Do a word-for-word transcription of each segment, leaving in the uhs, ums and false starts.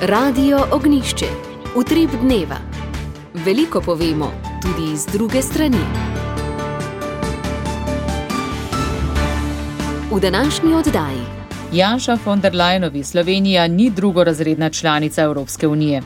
Radio Ognjišče. Utrip dneva. Veliko povemo, tudi iz druge strani. V današnji oddaji. Janša von der Leyenovi Slovenija ni drugorazredna članica Evropske unije.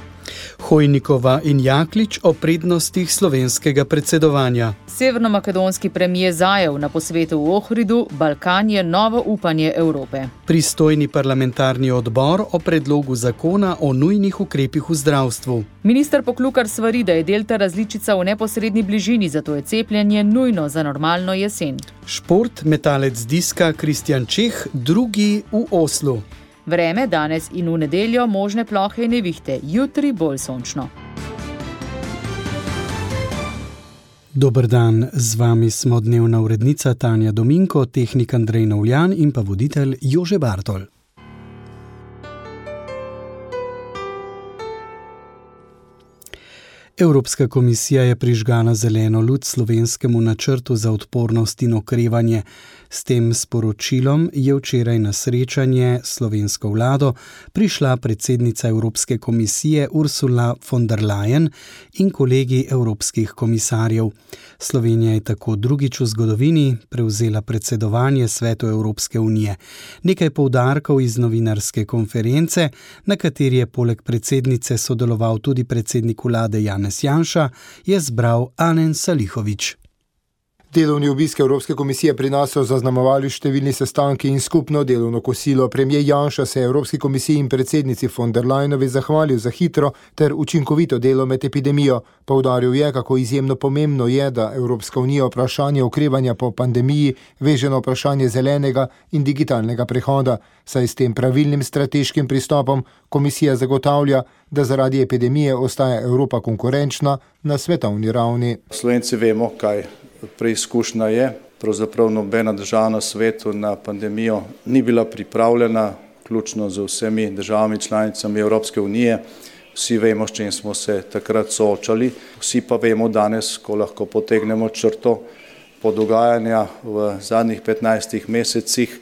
Hojnikova in Jaklič o prednostih slovenskega predsedovanja. Severnomakedonski premijer Zajev na posvetu v Ohridu, Balkan je novo upanje Evrope. Pristojni parlamentarni odbor o predlogu zakona o nujnih ukrepih v zdravstvu. Minister Poklukar svari, da je delta različica v neposredni bližini, zato je cepljenje nujno za normalno jesen. Šport, metalec diska Kristjan Čeh, drugi v Oslu. Vreme danes in v nedeljo možne plohe in nevihte, jutri bolj sončno. Dober dan, z vami smo dnevna urednica Tanja Dominko, tehnik Andrej Novljan in pa voditelj Jože Bartol. Evropska komisija je prižgala zeleno luč slovenskemu načrtu za odpornost in okrevanje. S tem sporočilom je včeraj na srečanje s slovensko vlado prišla predsednica Evropske komisije Ursula von der Leyen in kolegi evropskih komisarjev. Slovenija je tako drugič v zgodovini prevzela predsedovanje Svetu Evropske unije. Nekaj poudarkov iz novinarske konference, na kateri je poleg predsednice sodeloval tudi predsednik vlade Janez Janša, je zbral Anen Salihović. Delovni obisk Evropske komisije pri nas so zaznamovali številni sestanki in skupno delovno kosilo. Premijer Janša se je Evropski komisiji in predsednici von der Leyenovi zahvalil za hitro ter učinkovito delo med epidemijo. Poudaril je, kako izjemno pomembno je, da Evropska unija vprašanje okrevanja po pandemiji veže na vprašanje zelenega in digitalnega prehoda, saj s tem pravilnim strateškim pristopom komisija zagotavlja, da zaradi epidemije ostaja Evropa konkurenčna na svetovni ravni. Slovenci vemo, kaj preizkušnja je. Pravzaprav nobena država na svetu na pandemijo ni bila pripravljena, vključno z vsemi državami članicami Evropske unije. Vsi vemo, s čim smo se takrat soočali. Vsi pa vemo danes, ko lahko potegnemo črto po dogajanja v zadnjih petnajstih mesecih,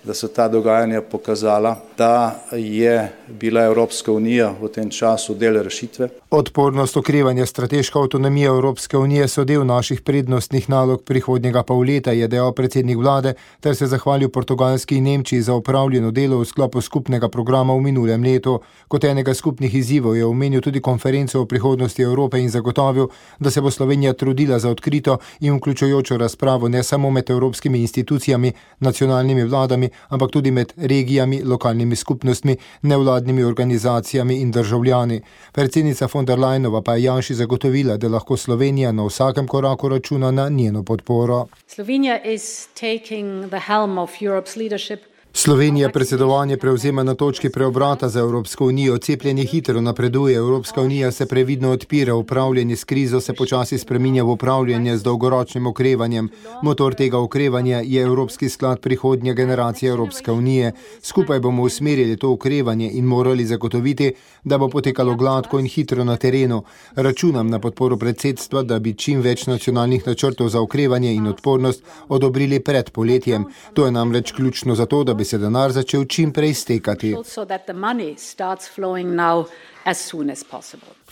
da so ta dogajanja pokazala, da je bila Evropska unija v tem času del rešitve. Odpornost, okrevanje, strateška avtonomija Evropske unije so del naših prednostnih nalog prihodnjega pol leta, je dejal predsednik vlade, ter se zahvalil Portugalski in Nemčiji za opravljeno delo v sklopu skupnega programa v minulem letu. Kot enega skupnih izzivov je omenil tudi konferenco o prihodnosti Evrope in zagotovil, da se bo Slovenija trudila za odkrito in vključujočo razpravo ne samo med evropskimi institucijami, nacionalnimi vladami, ampak tudi med regijami, lokalnimi skupnostmi, nevladnimi organizacijami in državljani. Predsednica von der Leyenova pa je Janši zagotovila, da lahko Slovenija na vsakem koraku računa na njeno podporo. Slovenija is taking the helm of Europe's leadership. Slovenija predsedovanje prevzema na točki preobrata za Evropsko unijo. Cepljenje hitro napreduje, Evropska unija se previdno odpira, upravljanje s krizo se počasi spreminja v upravljanje z dolgoročnim okrevanjem. Motor tega okrevanja je Evropski sklad prihodnje generacije Evropske unije. Skupaj bomo usmerili to okrevanje in morali zagotoviti, da bo potekalo gladko in hitro na terenu. Računam na podporo predsedstva, da bi čim več nacionalnih načrtov za okrevanje in odpornost odobrili pred poletjem. To je namreč ključno za to, da bi se denar začel čim prej stekati.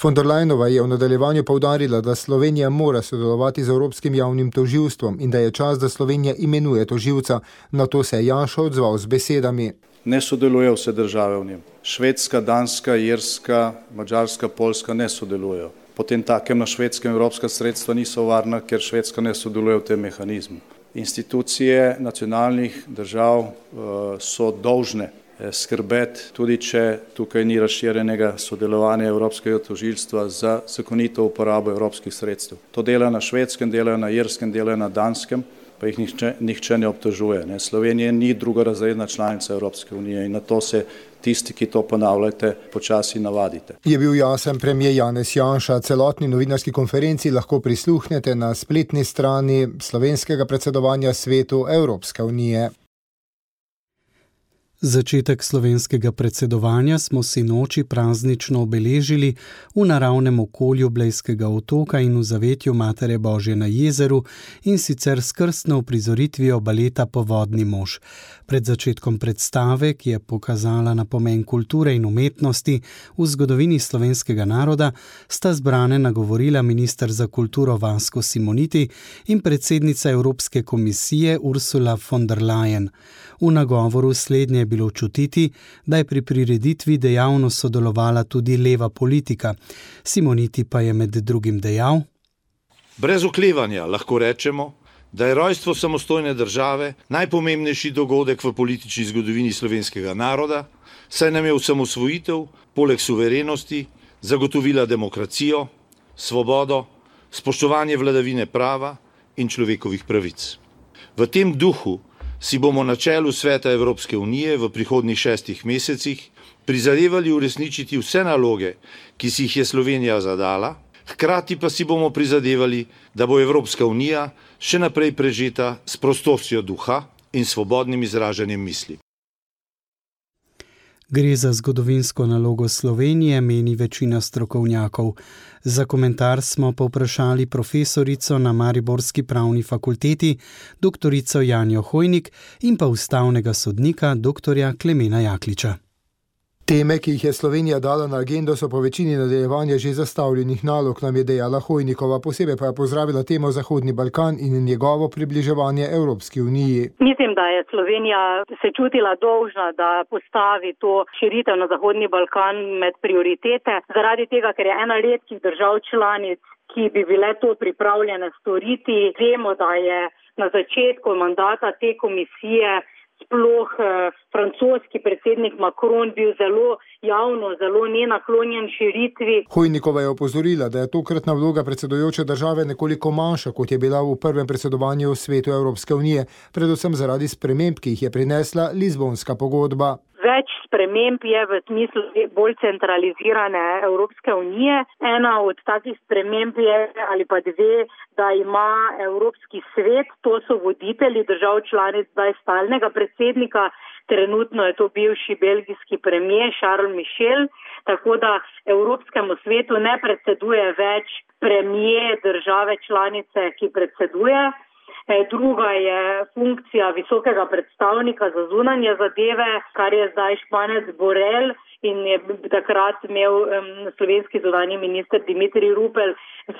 Von der Leyenova je v nadaljevanju poudarila, da Slovenija mora sodelovati z Evropskim javnim tožilstvom in da je čas, da Slovenija imenuje tožilca. Na to se je Janša odzval z besedami. Ne sodelujejo vse države v njem. Švedska, Danska, Irska, Madžarska, Poljska ne sodelujejo. Potem takem na Švedskem evropska sredstva niso varna, ker Švedska ne sodeluje v tem mehanizmu. Institucije nacionalnih držav so dolžne skrbeti, tudi če tukaj ni razširjenega sodelovanja Evropskega tožilstva za zakonito uporabo evropskih sredstev. To delajo na Švedskem, delajo na Irskem, delajo na Danskem, pa jih nihče, nihče ne obtožuje. Ne. Slovenija ni drugorazredna članica Evropske unije in na to se tisti, ki to ponavljate, počasi navadite. Je bil jasen premijer Janez Janša. Celotni novinarski konferenci lahko prisluhnete na spletni strani slovenskega predsedovanja Svetu Evropske unije. Začetek slovenskega predsedovanja smo si noči praznično obeležili v naravnem okolju Blejskega otoka in v zavetju Matere Božje na jezeru, in sicer s krstno uprizoritvijo baleta Povodni mož. Pred začetkom predstave, ki je pokazala na pomen kulture in umetnosti v zgodovini slovenskega naroda, sta zbrane nagovorila minister za kulturo Vasko Simoniti in predsednica Evropske komisije Ursula von der Leyen. V nagovoru slednje je bilo čutiti, da je pri prireditvi dejavno sodelovala tudi leva politika. Simoniti pa je med drugim dejal: Brez oklevanja lahko rečemo, da je rojstvo samostojne države najpomembnejši dogodek v politični zgodovini slovenskega naroda, saj nam je osamosvojitev, poleg suverenosti, zagotovila demokracijo, svobodo, spoštovanje vladavine prava in človekovih pravic. V tem duhu si bomo na čelu Sveta Evropske unije v prihodnjih šestih mesecih prizadevali uresničiti vse naloge, ki si jih je Slovenija zadala, hkrati pa si bomo prizadevali, da bo Evropska unija še naprej prežeta s prostostjo duha in svobodnim izražanjem misli. Gre za zgodovinsko nalogo Slovenije, meni večina strokovnjakov. Za komentar smo povprašali profesorico na Mariborski pravni fakulteti, doktorico Janjo Hojnik, in pa ustavnega sodnika, doktorja Klemena Jakliča. Teme, ki jih je Slovenija dala na agendo, so po večini nadaljevanja že zastavljenih nalog, nam je dejala Hojnikova, posebej pa je pozdravila temo Zahodni Balkan in njegovo približevanje Evropski uniji. Mislim, da je Slovenija se čutila dolžna, da postavi to širitev na Zahodni Balkan med prioritete, zaradi tega, ker je ena redkih držav članic, ki bi bile to pripravljene storiti. Vemo, da je na začetku mandata te komisije sploh eh, francoski predsednik Macron bil zelo javno, zelo nenaklonjen širitvi. Hojnikova je opozorila, da je tokratna vloga predsedujoče države nekoliko manjša, kot je bila v prvem predsedovanju v Svetu Evropske unije, predvsem zaradi sprememb, ki jih je prinesla Lizbonska pogodba. Več sprememb je v smislu bolj centralizirane Evropske unije. Ena od takih sprememb je ali pa dve, da ima Evropski svet, to so voditelji držav članic, zdaj stalnega predsednika, trenutno je to bivši belgijski premier Charles Michel, tako da Evropskemu svetu ne predseduje več premier države članice, ki predseduje. Druga je funkcija visokega predstavnika za zunanje zadeve, kar je zdaj Španec Borrell, in je takrat imel um, slovenski zunanji minister Dimitrij Rupel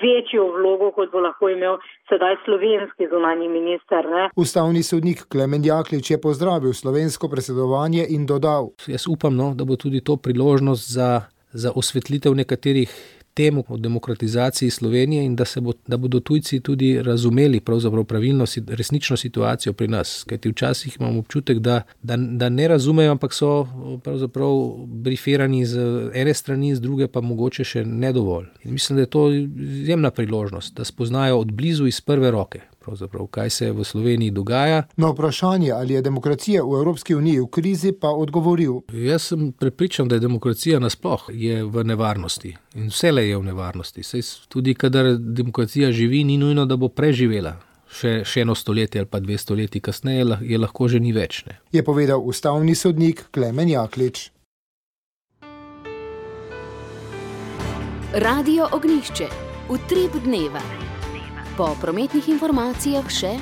večjo vlogo, kot bo lahko imel sedaj slovenski zunanji minister. Ne? Ustavni sodnik Klemen Jaklič je pozdravil slovensko predsedovanje in dodal: Jaz upam, no, da bo tudi to priložnost za, za osvetlitev nekaterih temu o demokratizaciji Slovenije in da, se bo, da bodo tujci tudi razumeli pravzaprav pravilno, resnično situacijo pri nas. Kajti včasih imam občutek, da, da, da ne razumejo, ampak so pravzaprav brifirani z ene strani, z druge pa mogoče še ne dovolj. In mislim, da je to izjemna priložnost, da spoznajo od blizu iz prve roke, pravzaprav, kaj se v Sloveniji dogaja. Na vprašanje, ali je demokracija v Evropski uniji v krizi, pa odgovoril: Jaz sem prepričan, da je demokracija nasploh je v nevarnosti in vselej je v nevarnosti. Saj tudi kadar demokracija živi, ni nujno, da bo preživela še, še eno stoletje ali pa dve stoletji kasneje, je lahko že ni več. Ne? Je povedal ustavni sodnik Klemen Jaklič. Radio Ognjišče. Utrip dneva. Po prometnih informacijah še: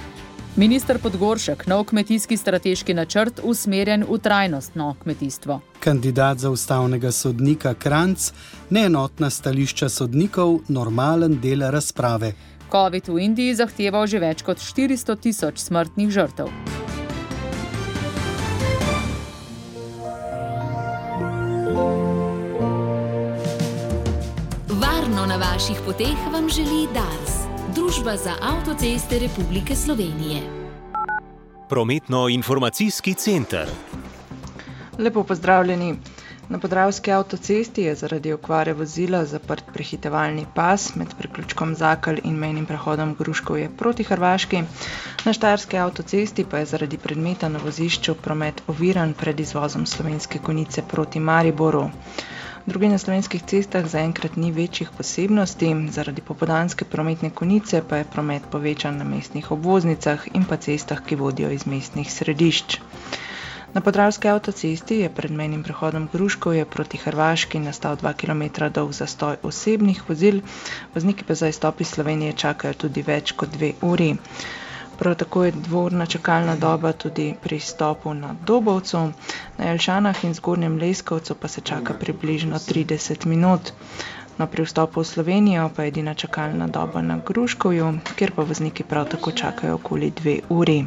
Minister Podgoršek, nov kmetijski strateški načrt usmerjen v trajnostno kmetijstvo. Kandidat za ustavnega sodnika Kranjc, neenotna stališča sodnikov, normalen del razprave. Covid v Indiji zahteval že več kot štiristo tisoč smrtnih žrtev. Varno na vaših poteh vam želi Dars, Družba za avtoceste Republike Slovenije. Prometno-informacijski center. Lepo pozdravljeni. Na Podravski avtocesti je zaradi okvare vozila zaprt prehitevalni pas med priključkom Zakelj in mejnim prehodom Gruškovje proti Hrvaški. Na Štajerski avtocesti pa je zaradi predmeta na vozišču promet oviran pred izvozom Slovenske Konjice proti Mariboru. Drugi na slovenskih cestah zaenkrat ni večjih posebnosti, zaradi popoldanske prometne konice pa je promet povečan na mestnih obvoznicah in pa cestah, ki vodijo iz mestnih središč. Na podravski avtocesti je pred mejnim prehodom Gruškovje proti Hrvaški nastal dva kilometra dolg zastoj osebnih vozil, vozniki pa za izstop iz Slovenije čakajo tudi več kot dve uri. Prav tako je dvorna čakalna doba tudi pri stopu na Dobovcu, na Jelšanah in Zgornjem Leskovcu pa se čaka približno trideset minut. No, pri vstopu v Slovenijo pa je edina čakalna doba na Gruškovju, kjer pa vozniki prav tako čakajo okoli dve uri.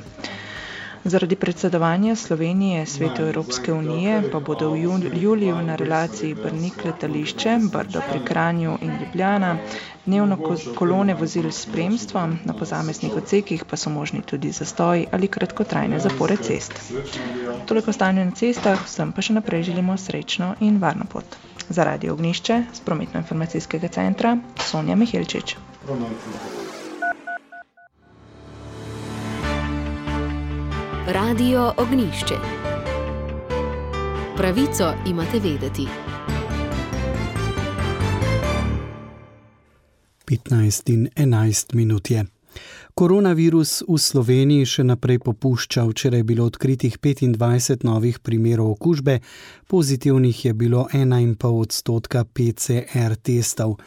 Zaradi predsedovanja Slovenije Svetu Evropske unije pa bodo v juliju na relaciji Brnik-Letališče, Brdo pri Kranju in Ljubljana dnevno kolone vozil s spremstvom, na posameznih odsekih pa so možni tudi zastoji ali kratkotrajne zapore cest. Toliko stanje na cestah, vsem pa še naprej želimo srečno in varno pot. Za Radio Ognjišče z prometno-informacijskega centra Sonja Mihelčič. Radio Ognjišče. Pravico imate vedeti. petnajst in enajst minut je. Koronavirus v Sloveniji še naprej popušča. Včeraj je bilo odkritih petindvajset novih primerov okužbe, pozitivnih je bilo ena in pol odstotka P C R testov.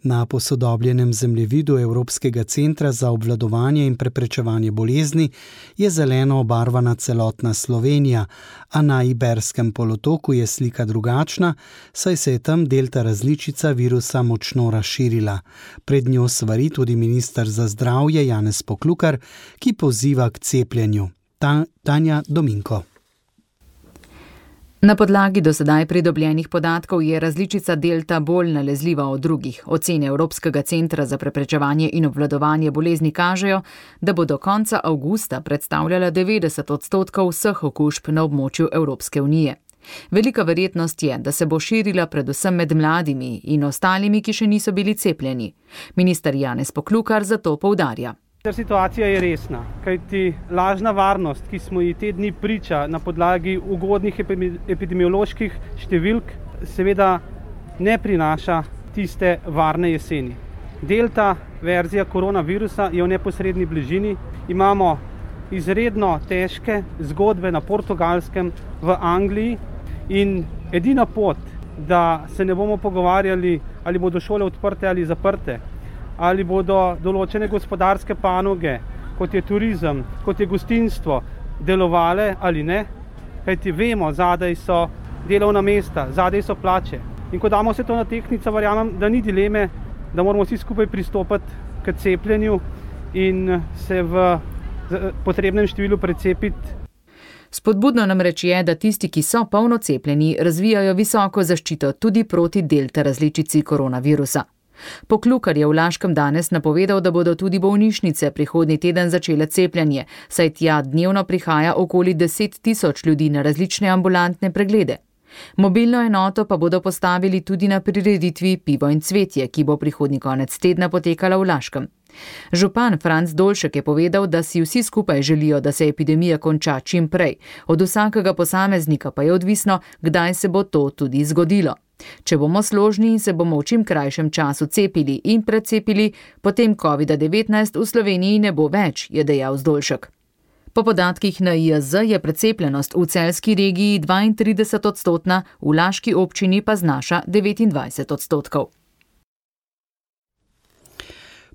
Na posodobljenem zemljevidu Evropskega centra za obvladovanje in preprečevanje bolezni je zeleno obarvana celotna Slovenija, a na Iberskem polotoku je slika drugačna, saj se je tam delta različica virusa močno razširila. Pred njo svari tudi minister za zdravje Janez Poklukar, ki poziva k cepljenju. Ta, Tanja Dominko. Na podlagi do sedaj pridobljenih podatkov je različica delta bolj nalezljiva od drugih. Ocene Evropskega centra za preprečevanje in obvladovanje bolezni kažejo, da bo do konca avgusta predstavljala devetdeset odstotkov vseh okužb na območju Evropske unije. Velika verjetnost je, da se bo širila predvsem med mladimi in ostalimi, ki še niso bili cepljeni. Minister Janez Poklukar zato poudarja. Situacija je resna, kajti lažna varnost, ki smo ji te dni priča na podlagi ugodnih epidemioloških številk, seveda ne prinaša tiste varne jeseni. Delta verzija koronavirusa je v neposredni bližini. Imamo izredno težke zgodbe na Portugalskem, v Angliji in edina pot, da se ne bomo pogovarjali, ali bodo šole odprte ali zaprte, ali bodo določene gospodarske panoge, kot je turizem, kot je gostinstvo, delovale ali ne, kajti vemo, zadaj so delovna mesta, zadaj so plače. In ko damo vse to na tehtnico, verjamem, da ni dileme, da moramo vsi skupaj pristopiti k cepljenju in se v potrebnem številu precepiti. Spodbudno namreč je, da tisti, ki so polno cepljeni, razvijajo visoko zaščito tudi proti delta različici koronavirusa. Poklukar je v Laškem danes napovedal, da bodo tudi bolnišnice prihodnji teden začele cepljenje, saj tja dnevno prihaja okoli deset tisoč ljudi na različne ambulantne preglede. Mobilno enoto pa bodo postavili tudi na prireditvi Pivo in cvetje, ki bo prihodnji konec tedna potekala v Laškem. Župan Franc Dolšek je povedal, da si vsi skupaj želijo, da se epidemija konča čim prej. Od vsakega posameznika pa je odvisno, kdaj se bo to tudi zgodilo. Če bomo složni in se bomo v čim krajšem času cepili in precepili, potem kovida devetnajst v Sloveniji ne bo več, je dejal Zdolšek. Po podatkih N I J Z je precepljenost v celjski regiji dvaintrideset odstotna, v laški občini pa znaša devetindvajset odstotkov.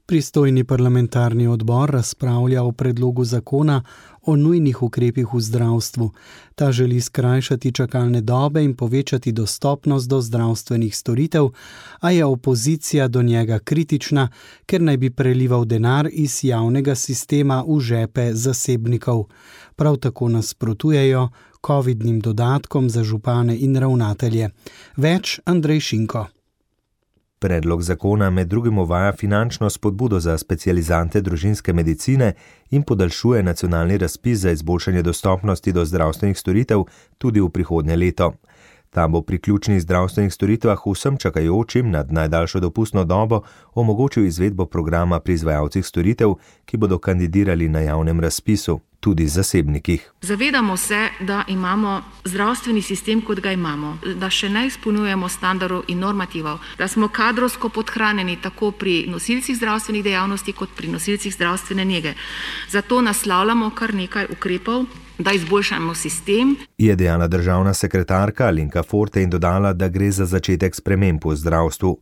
Pristojni parlamentarni odbor razpravlja o predlogu zakona o nujnih ukrepih v zdravstvu. Ta želi skrajšati čakalne dobe in povečati dostopnost do zdravstvenih storitev, a je opozicija do njega kritična, ker naj bi prelival denar iz javnega sistema v žepe zasebnikov. Prav tako nasprotujejo covidnim dodatkom za župane in ravnatelje. Več Andrej Šinko. Predlog zakona med drugim uvaja finančno spodbudo za specializante družinske medicine in podaljšuje nacionalni razpis za izboljšanje dostopnosti do zdravstvenih storitev tudi v prihodnje leto. Ta bo pri ključnih zdravstvenih storitvah vsem čakajočim nad najdaljšo dopustno dobo omogočil izvedbo programa pri izvajalcih storitev, ki bodo kandidirali na javnem razpisu, tudi zasebnikih. Zavedamo se, da imamo zdravstveni sistem, kot ga imamo, da še ne izpolnjujemo standardov in normativov, da smo kadrovsko podhranjeni tako pri nosilcih zdravstvenih dejavnosti kot pri nosilcih zdravstvene nege. Zato naslavljamo kar nekaj ukrepov, da izboljšamo sistem. Je dejala državna sekretarka Alenka Forte in dodala, da gre za začetek sprememb v zdravstvu.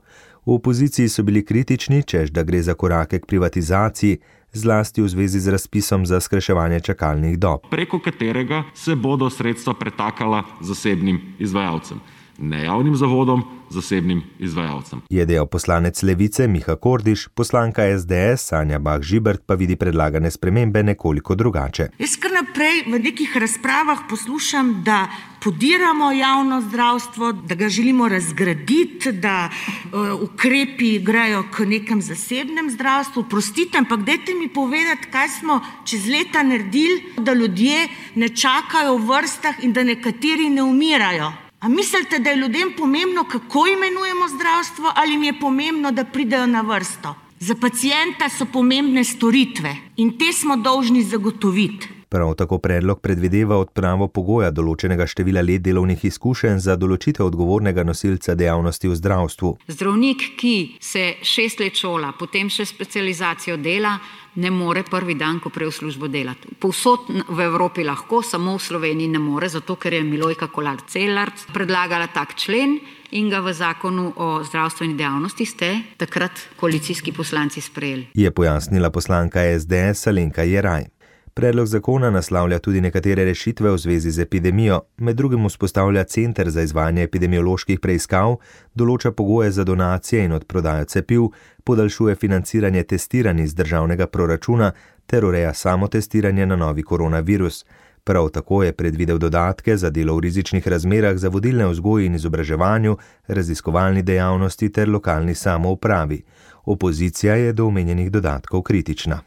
V opoziciji so bili kritični, češ da gre za korake k privatizaciji, zlasti v zvezi z razpisom za skrajševanje čakalnih dob, preko katerega se bodo sredstva pretakala zasebnim izvajalcem. Ne javnim zavodom, zasebnim izvajalcem. Je dejal poslanec Levice Miha Kordiš, poslanka es de es Sanja Bah Žibert pa vidi predlagane spremembe nekoliko drugače. Jaz kar naprej v nekih razpravah poslušam, da podiramo javno zdravstvo, da ga želimo razgraditi, da uh, ukrepi grejo k nekem zasebnem zdravstvu. Prostite, ampak dajte mi povedati, kaj smo čez leta naredili, da ljudje ne čakajo v vrstah in da nekateri ne umirajo. A mislite, da je ljudem pomembno, kako imenujemo zdravstvo, ali jim je pomembno, da pridejo na vrsto? Za pacienta so pomembne storitve in te smo dolžni zagotoviti. Prav tako predlog predvideva odpravo pogoja določenega števila let delovnih izkušenj za določitev odgovornega nosilca dejavnosti v zdravstvu. Zdravnik, ki se šest let šola, potem še specializacijo dela, ne more prvi dan, ko prej v službo delati. Povsod v Evropi lahko, samo v Sloveniji ne more, zato ker je Milojka Kolar Celarc predlagala tak člen in ga v zakonu o zdravstveni dejavnosti ste takrat koalicijski poslanci sprejeli. Je pojasnila poslanka es de es Alenka Jeraj. Predlog zakona naslavlja tudi nekatere rešitve v zvezi z epidemijo, med drugim vzpostavlja center za izvajanje epidemioloških preiskav, določa pogoje za donacije in odprodajo cepiv, podaljšuje financiranje testiranj iz državnega proračuna ter ureja samotestiranje na novi koronavirus. Prav tako je predvidel dodatke za delo v rizičnih razmerah za vodilne vzgoji in izobraževanju, raziskovalni dejavnosti ter lokalni samoupravi. Opozicija je do omenjenih dodatkov kritična.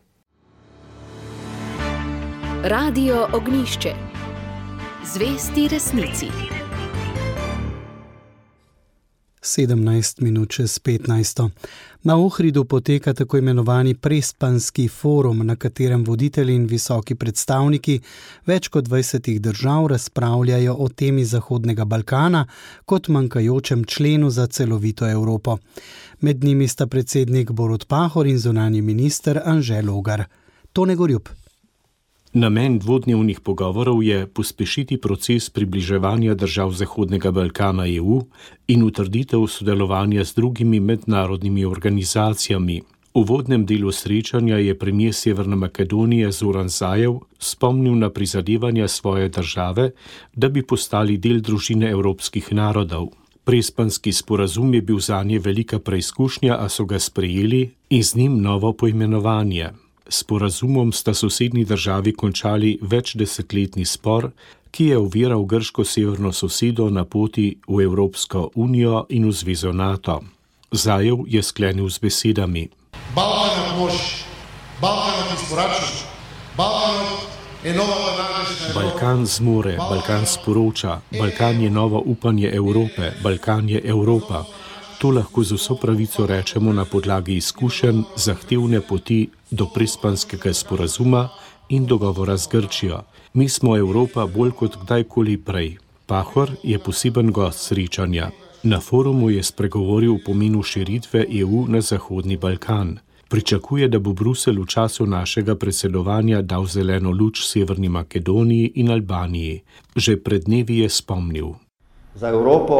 Radio Ognjišče. Zvesti resnici. sedemnajst minut čez petnajsto. Na Ohridu poteka tako imenovani Prespanski forum, na katerem voditelji in visoki predstavniki več kot dvajsetih držav razpravljajo o temi Zahodnega Balkana kot manjkajočem členu za celovito Evropo. Med njimi sta predsednik Borut Pahor in zunanji minister Anže Logar. Tone Gorjup. Namen dvodnevnih pogovorov je pospešiti proces približevanja držav Zahodnega Balkana E U in utrditev sodelovanja z drugimi mednarodnimi organizacijami. V uvodnem delu srečanja je premier Severne Makedonije Zoran Zaev spomnil na prizadevanja svoje države, da bi postali del družine evropskih narodov. Prespanski sporazum je bil zanje velika preizkušnja, a so ga sprejeli in z njim novo poimenovanje. S sporazumom sta sosednji državi končali večdesetletni spor, ki je oviral grško severno sosedo na poti v Evropsko unijo in v zvezo NATO. Zaev je sklenil z besedami: Balkan mož, Balkan izporačaš, Balkan je nova današnja Evropa. Balkan zmore, Balkan sporoča, Balkan je novo upanje Evrope, Balkan je Evropa. To lahko z vso pravico rečemo na podlagi izkušenj zahtevne poti do Prespanskega sporazuma in dogovora z Grčijo. Mi smo Evropa bolj kot kdajkoli prej. Pahor je poseben gost srečanja. Na forumu je spregovoril o pomenu širitve E U na Zahodni Balkan. Pričakuje, da bo Bruselj v času našega predsedovanja dal zeleno luč Severni Makedoniji in Albaniji. Že pred dnevi je spomnil: Za Evropo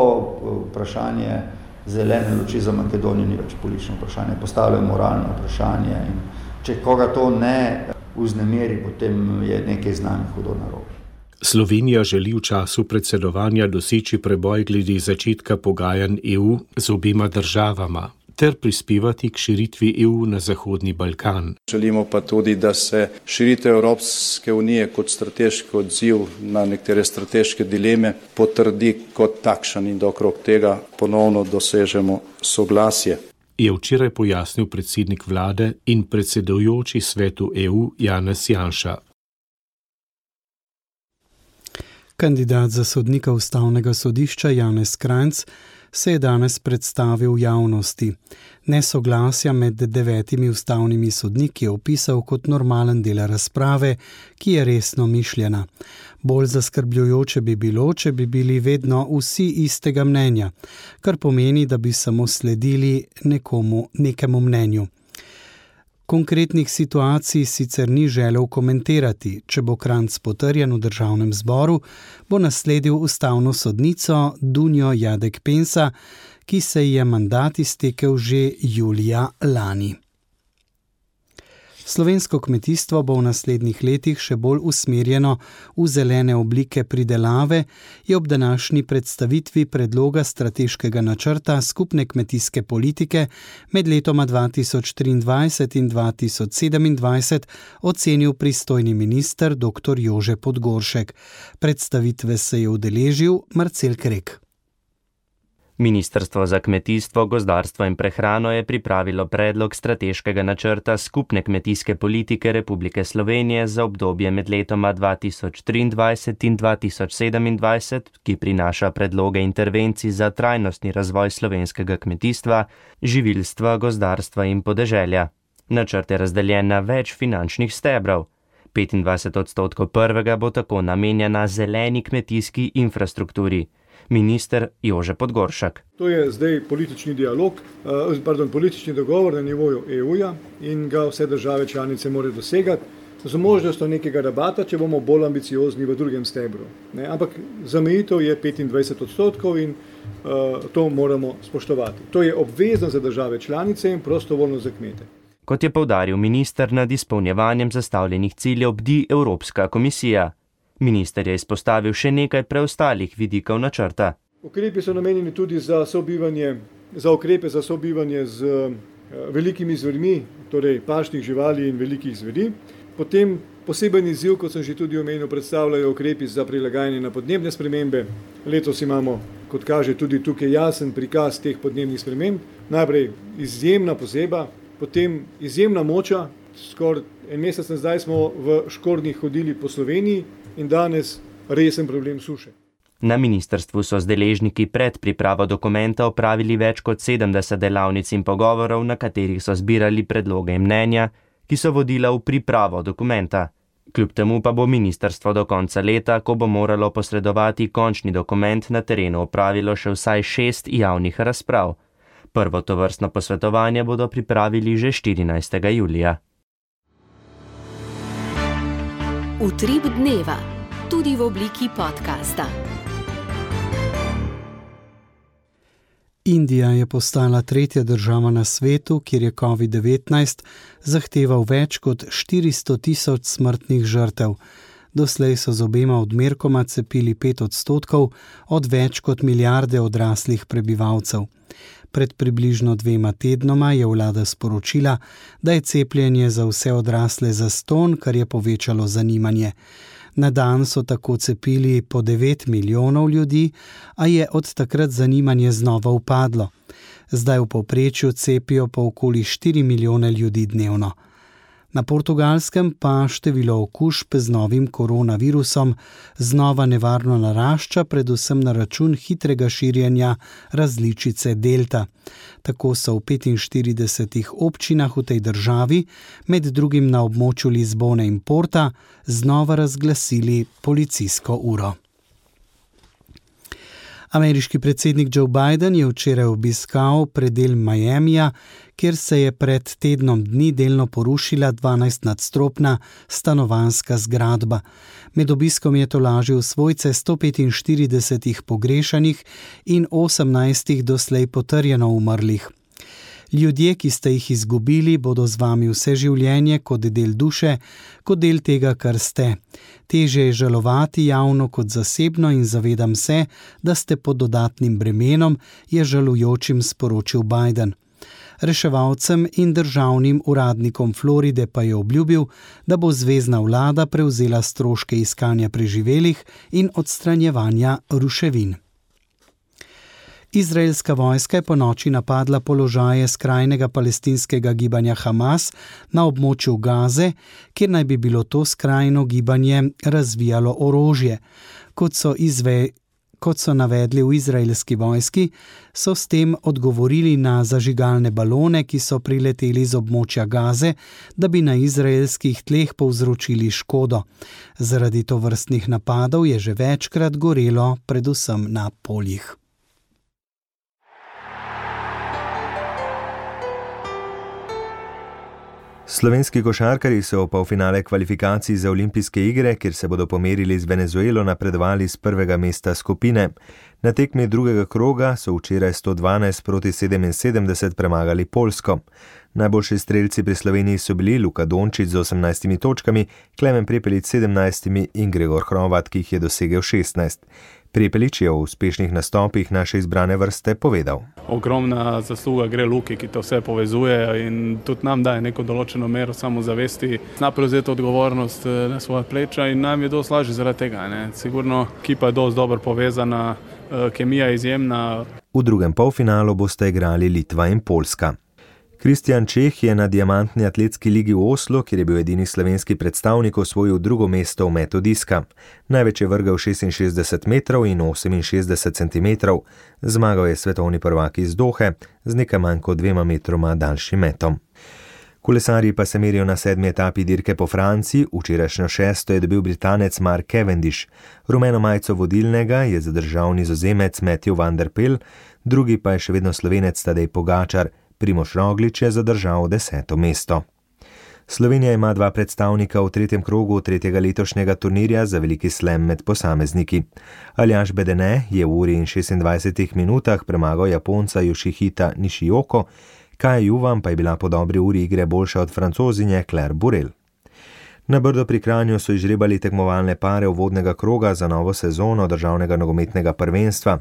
vprašanje zelene luči za Makedonijo ni več politično vprašanje, postavljajo moralno vprašanje in če koga to ne vznemiri, potem je nekaj z nami hudo narobe. Slovenija želi v času predsedovanja doseči preboj glede začetka pogajanj E U z obema državama ter prispevati k širitvi E U na Zahodni Balkan. Želimo pa tudi, da se širitev Evropske unije kot strateški odziv na nekatere strateške dileme potrdi kot takšen in da okrog tega ponovno dosežemo soglasje. Je včeraj pojasnil predsednik vlade in predsedujoči svetu E U Janez Janša. Kandidat za sodnika Ustavnega sodišča Janez Kranjc se je danes predstavil v javnosti. Nesoglasja med devetimi ustavnimi sodniki je opisal kot normalen del razprave, ki je resno mišljena. Bolj zaskrbljujoče bi bilo, če bi bili vedno vsi istega mnenja, kar pomeni, da bi samo sledili nekomu, nekemu mnenju. Konkretnih situacij sicer ni želel komentirati. Če bo Kranjc potrjen v državnem zboru, bo nasledil ustavno sodnico Dunjo Jadek Pensa, ki se ji je mandat iztekel že julija lani. Slovensko kmetijstvo bo v naslednjih letih še bolj usmerjeno v zelene oblike pridelave, je ob današnji predstavitvi predloga strateškega načrta skupne kmetijske politike med letoma dva tisoč triindvajset in dva tisoč sedemindvajset ocenil pristojni minister doktor Jože Podgoršek. Predstavitve se je udeležil Marcel Krek. Ministrstvo za kmetijstvo, gozdarstvo in prehrano je pripravilo predlog strateškega načrta skupne kmetijske politike Republike Slovenije za obdobje med letoma dva tisoč triindvajset in dva tisoč sedemindvajset, ki prinaša predloge intervencij za trajnostni razvoj slovenskega kmetijstva, živilstva, gozdarstva in podeželja. Načrt je razdeljen na več finančnih stebrov. petindvajset odstotkov prvega bo tako namenjena zeleni kmetijski infrastrukturi. Minister Jože Podgoršek. To je zdaj politični dialog, pardon, politični dogovor na nivoju E U-ja in ga vse države članice morajo dosegati z možnostjo nekega rabata, če bomo bolj ambiciozni v drugem stebru. Ne, ampak zamejitev je petindvajset odstotkov in uh, to moramo spoštovati. To je obvezno za države članice in prostovoljno za kmete. Kot je poudaril minister, nad izpolnjevanjem zastavljenih ciljev bdi Evropska komisija. Minister je izpostavil še nekaj preostalih vidikov načrta. Ukrepi so namenjeni tudi za sobivanje, za ukrepe za sobivanje z uh, velikimi zvermi, torej pašnih živali in velikih zveri. Potem poseben izziv, kot sem že tudi omenil, predstavljajo ukrepi za prilagajanje na podnebne spremembe. Letos imamo, kot kaže, tudi tukaj jasen prikaz teh podnebnih sprememb. Najprej izjemna pozeba, potem izjemna moča. Skoraj en mesec nazaj smo v škornjih hodili po Sloveniji in danes resen problem suše. Na ministrstvu so z deležniki pred pripravo dokumenta opravili več kot sedemdeset delavnic in pogovorov, na katerih so zbirali predloge in mnenja, ki so vodila v pripravo dokumenta. Kljub temu pa bo ministrstvo do konca leta, ko bo moralo posredovati končni dokument, na terenu opravilo še vsaj šest javnih razprav. Prvo tovrstno posvetovanje bodo pripravili že štirinajstega julija. Utrip dneva, tudi v obliki podcasta. Indija je postala tretja država na svetu, kjer je covid devetnajst zahteval več kot štiristo tisoč smrtnih žrtev. Doslej so z obema odmerkoma cepili pet odstotkov od več kot milijarde odraslih prebivalcev. Pred približno dvema tednoma je vlada sporočila, da je cepljenje za vse odrasle zastonj, kar je povečalo zanimanje. Na dan so tako cepili po devet milijonov ljudi, a je od takrat zanimanje znova upadlo. Zdaj v povprečju cepijo po okoli štiri milijone ljudi dnevno. Na Portugalskem pa število okužb z novim koronavirusom znova nevarno narašča, predvsem na račun hitrega širjenja različice delta. Tako so v petinštiridesetih občinah v tej državi, med drugim na območju Lizbone in Porta, znova razglasili policijsko uro. Ameriški predsednik Joe Biden je včeraj obiskal predel Miamija, kjer se je pred tednom dni delno porušila dvanajstnadstropna stanovanjska zgradba. Med obiskom je tolažil svojce sto petinštiridesetih pogrešanih in osemnajstih doslej potrjeno umrlih. Ljudje, ki ste jih izgubili, bodo z vami vse življenje kot del duše, kot del tega, kar ste. Težje je žalovati javno kot zasebno in zavedam se, da ste pod dodatnim bremenom, je žalujočim sporočil Biden. Reševalcem in državnim uradnikom Floride pa je obljubil, da bo zvezna vlada prevzela stroške iskanja preživelih in odstranjevanja ruševin. Izraelska vojska je ponoči napadla položaje skrajnega palestinskega gibanja Hamas na območju Gaze, kjer naj bi bilo to skrajno gibanje razvijalo orožje. Kot so, izve, kot so navedli v izraelski vojski, so s tem odgovorili na zažigalne balone, ki so prileteli z območja Gaze, da bi na izraelskih tleh povzročili škodo. Zaradi tovrstnih napadov je že večkrat gorelo, predvsem na poljih. Slovenski košarkarji so v polfinale kvalifikacij za olimpijske igre, kjer se bodo pomerili z Venezuelo, napredovali z prvega mesta skupine. Na tekmi drugega kroga so včeraj sto dvanajst proti sedeminsedemdeset premagali Poljsko. Najboljši strelci pri Sloveniji so bili Luka Dončić z osemnajstimi točkami, Klemen Prepelič s sedemnajstimi in Gregor Hrovat, ki jih je dosegel šestnajst. Prepelič je o uspešnih nastopih naše izbrane vrste povedal. Ogromna zasluga gre Luki, ki to vse povezuje in tudi nam daje neko določeno mero samozavesti. Zna prevzeti odgovornost na svoja pleča in nam je dosti lažje zaradi tega. Ne? Sigurno ekipa je dosti dobro povezana, kemija je izjemna. V drugem polfinalu boste igrali Litva in Poljska. Kristjan Čeh je na diamantni atletski ligi v Oslu, kjer je bil edini slovenski predstavnik, osvojil drugo mesto v metu diska. Največ je vrgel šestinšestdeset metrov in oseminšestdeset centimetrov. Zmagal je svetovni prvak iz Dohe z nekaj manj kot dvema metroma daljšim metom. Kolesarji pa se merijo na sedmi etapi dirke po Franciji, včerajšnjo šesto je dobil Britanec Mark Cavendish. Rumeno majico vodilnega je zadržal Nizozemec Matthew van der Poel, drugi pa je še vedno Slovenec Tadej Pogačar. Primož Roglič je zadržal deseto mesto. Slovenija ima dva predstavnika v tretjem krogu tretjega letošnjega turnirja za veliki slam med posamezniki. Aljaž Bedene je v uri in šestindvajsetih minutah premagal Japonca Yoshihita Nishioko, Kaja Juvan pa je bila po dobri uri igre boljša od Francozinje Claire Burel. Na Brdo pri Kranju so izžrebali tekmovalne pare uvodnega kroga za novo sezono državnega nogometnega prvenstva.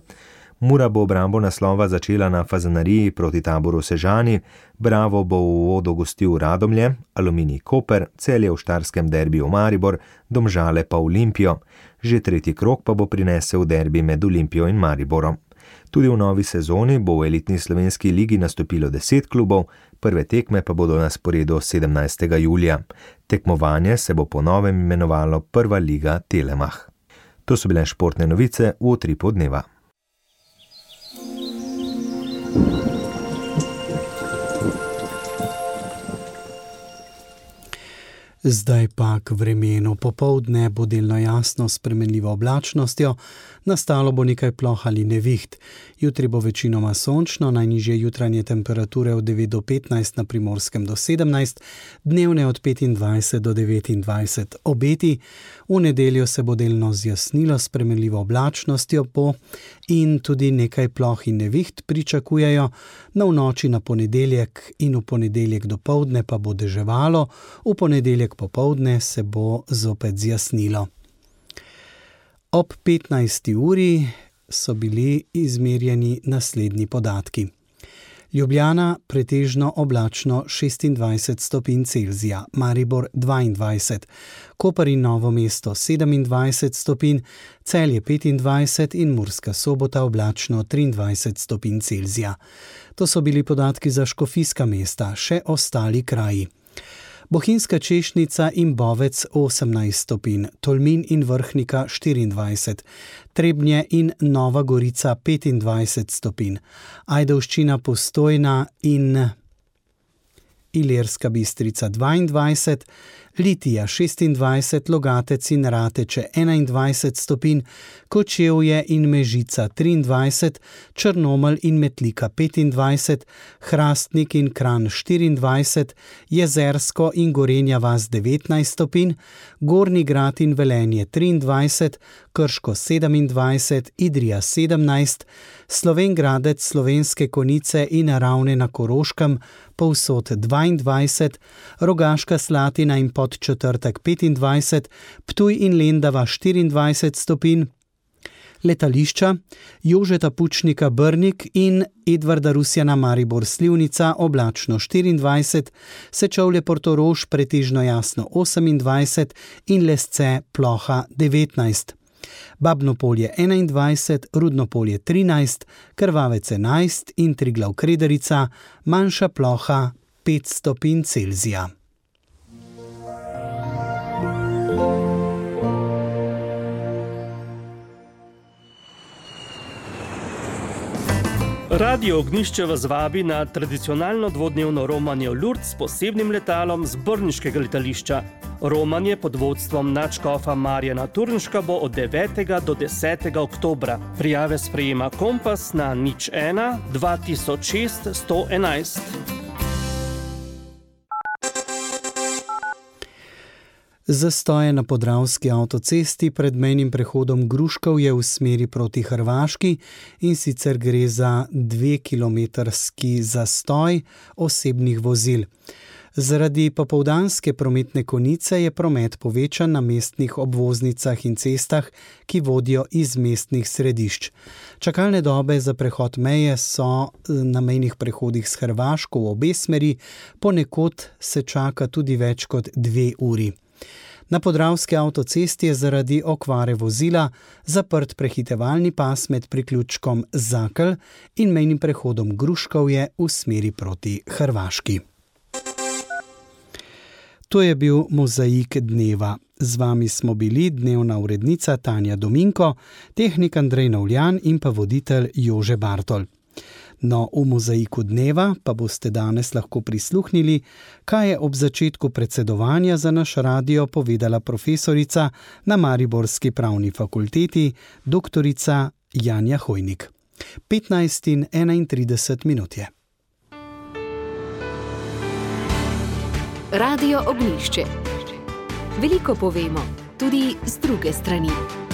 Mura bo obrambo naslova začela na Fazanariji proti Taboru Sežani, Bravo bo v uvodu gostil Radomlje, Aluminij Koper, Celje v štarskem derbiju Maribor, Domžale pa Olimpijo. Že tretji krog pa bo prinesel derbi med Olimpijo in Mariborom. Tudi v novi sezoni bo v elitni slovenski ligi nastopilo deset klubov, prve tekme pa bodo na sporedu sedemnajstega julija. Tekmovanje se bo po novem imenovalo Prva liga Telemach. To so bile športne novice v utripu dneva. Zdaj pa k vremenu. Popoldne bo delno jasno s spremenljivo oblačnostjo, nastalo bo nekaj ploh ali neviht. Jutri bo večinoma sončno, najnižje jutranje temperature od devet do petnajst, na Primorskem do sedemnajst, dnevne od petindvajset do devetindvajset. Obeti: v nedeljo se bo delno zjasnilo s spremenljivo oblačnostjo bo in tudi nekaj ploh in neviht pričakujejo. Na v noči na ponedeljek in v ponedeljek dopoldne pa bo deževalo, v ponedeljek popoldne se bo zopet zjasnilo. Ob petnajsti uri so bili izmerjeni naslednji podatki. Ljubljana pretežno oblačno šestindvajset stopinj Celzija, Maribor dvaindvajset, Koper in Novo mesto sedemindvajset stopinj, Celje petindvajset in Murska Sobota oblačno triindvajset stopinj Celzija. To so bili podatki za škofijska mesta, še ostali kraji. Bohinjska Češnica in Bovec osemnajst stopinj, Tolmin in Vrhnika štiriindvajset, Trebnje in Nova Gorica petindvajset stopinj, Ajdovščina, Postojna in Ilirska Bistrica dvaindvajset, Litija šestindvajset, Logatec in Rateče enaindvajset stopinj, Kočevje in Mežica triindvajset, Črnomelj in Metlika petindvajset, Hrastnik in Kranj štiriindvajset, Jezersko in Gorenja vas devetnajst stopinj, Gornji Grad in Velenje triindvajset, Krško sedemindvajset, Idrija sedemnajst, Slovenj Gradec, Slovenske Konjice in Ravne na Koroškem povsod dvaindvajset, Rogaška Slatina in Podčetrtek petindvajset, Ptuj in Lendava štiriindvajset stopinj, letališča Jožeta Pučnika Brnik in Edvarda Rusjana Maribor Slivnica oblačno štiriindvajset, Sečovlje Portorož pretežno jasno osemindvajset in Lesce ploha devetnajst. Babno Polje enaindvajset, Rudno Polje trinajst, Krvavec enajst in Triglav Krederica, manjša ploha pet stopinj Celzija. Radio Ognjišče vas vabi na tradicionalno dvodnevno romanje v Lourdes s posebnim letalom z brniškega letališča. Romanje pod vodstvom nadškofa Marjana Turnška bo od devetega do desetega oktobra. Prijave sprejema Kompas na nič ena dva tisoč šest sto enajst. Zastoje na podravski avtocesti pred mejnim prehodom Gruškovje v smeri proti Hrvaški, in sicer gre za dvekilometrski zastoj osebnih vozil. Zaradi popoldanske prometne konice je promet povečan na mestnih obvoznicah in cestah, ki vodijo iz mestnih središč. Čakalne dobe za prehod meje so na mejnih prehodih s Hrvaško v obe smeri, ponekod se čaka tudi več kot dve uri. Na podravski avtocesti je zaradi okvare vozila zaprt prehitevalni pas med priključkom Zakelj in mejnim prehodom Gruškovje v smeri proti Hrvaški. To je bil Mozaik dneva. Z vami smo bili dnevna urednica Tanja Dominko, tehnik Andrej Navljan in pa voditelj Jože Bartol. No, v Mozaiku dneva pa boste danes lahko prisluhnili, kaj je ob začetku predsedovanja za naš radio povedala profesorica na Mariborski pravni fakulteti, doktorica Janja Hojnik. petnajst in enaintrideset minut je. Radio Ognjišče. Veliko povemo, tudi z druge strani.